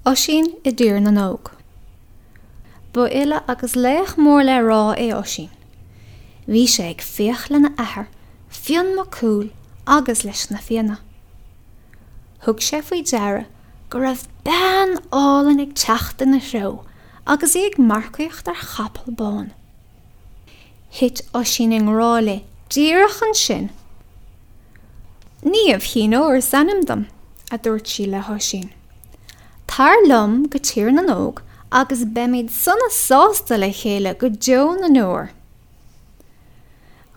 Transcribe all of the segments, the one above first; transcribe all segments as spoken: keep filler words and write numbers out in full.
Oisín i dTír na nÓg. Ba fhile agus laoch mór le rá é Oisín. Bhí sé ag fiach lena athair, Fionn Mac Cumhaill, agus leis na Fianna. Thug sé faoi deara go raibh bean álainn ag teacht ina threo agus í ag marcaíocht ar chapall bán. Thit Oisín i ngrá léi díreach ansin. Niamh Chinn Óir is ainm dom, a dúirt sí le hOisín. Tar liom go Tír na nÓg agus beimid sona sásta le chéile go deo na ndeor.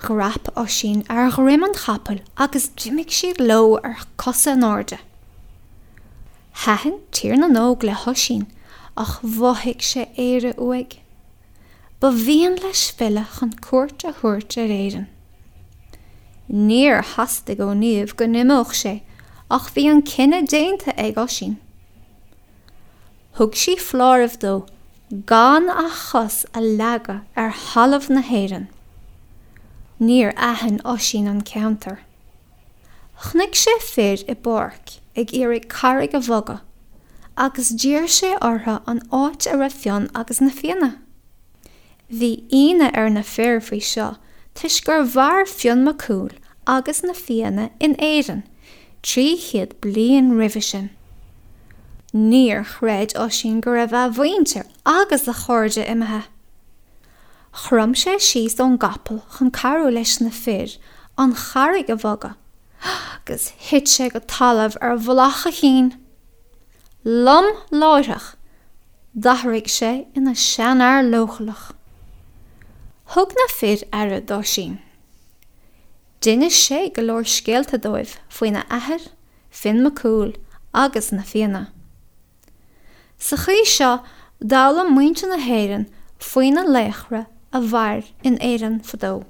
Dhreap Oisín ar dhroim an chapaill agus d'imigh siad leo ar cosa in airde. Thaitin Tír na nÓg le hOisín ach mhothaigh sé Éire uaidh. Ba mhian leis filleadh chun cuairt a thabhairt ar Éirinn. Níor theastaigh ó Niamh go n-imeodh sé ach bhí an cinneadh déanta ag Oisín. Thug sí foláireamh dó gan a chos a leagadh ar thalamh na hÉireann. Níor aithin Oisín an ceantar. Chonaic sé fir i bpáirc ag iarraidh carraig a bhogadh, agus d'iarr sé orthu an áit a raibh Fionn agus na Fianna. Bhí ionadh ar na fir faoi seo toisc gur mhair Fionn Mac Cumhaill agus na Fianna in Éirinn trí chéad bliain roimhe sin. Níor chreid Oisín go raibh a mhuintir agus a chairde imithe. Chrom sé síos ón gcapall chun cabhrú leis na fir an charraig a bhogadh, agus thit sé go talamh ar mhullach a chinn. Lom láithreach, d'athraigh sé ina sheanfhear leochaileach. Thug na fir aire d'Oisín. D'inis sé go leor scéalta dóibh faoina athair, Fionn Mac Cumhaill, agus na Fianna. Sa chaoi seo, d'fhoghlaim muintir na hÉireann faoi na laochra a mhair in Éirinn fadó.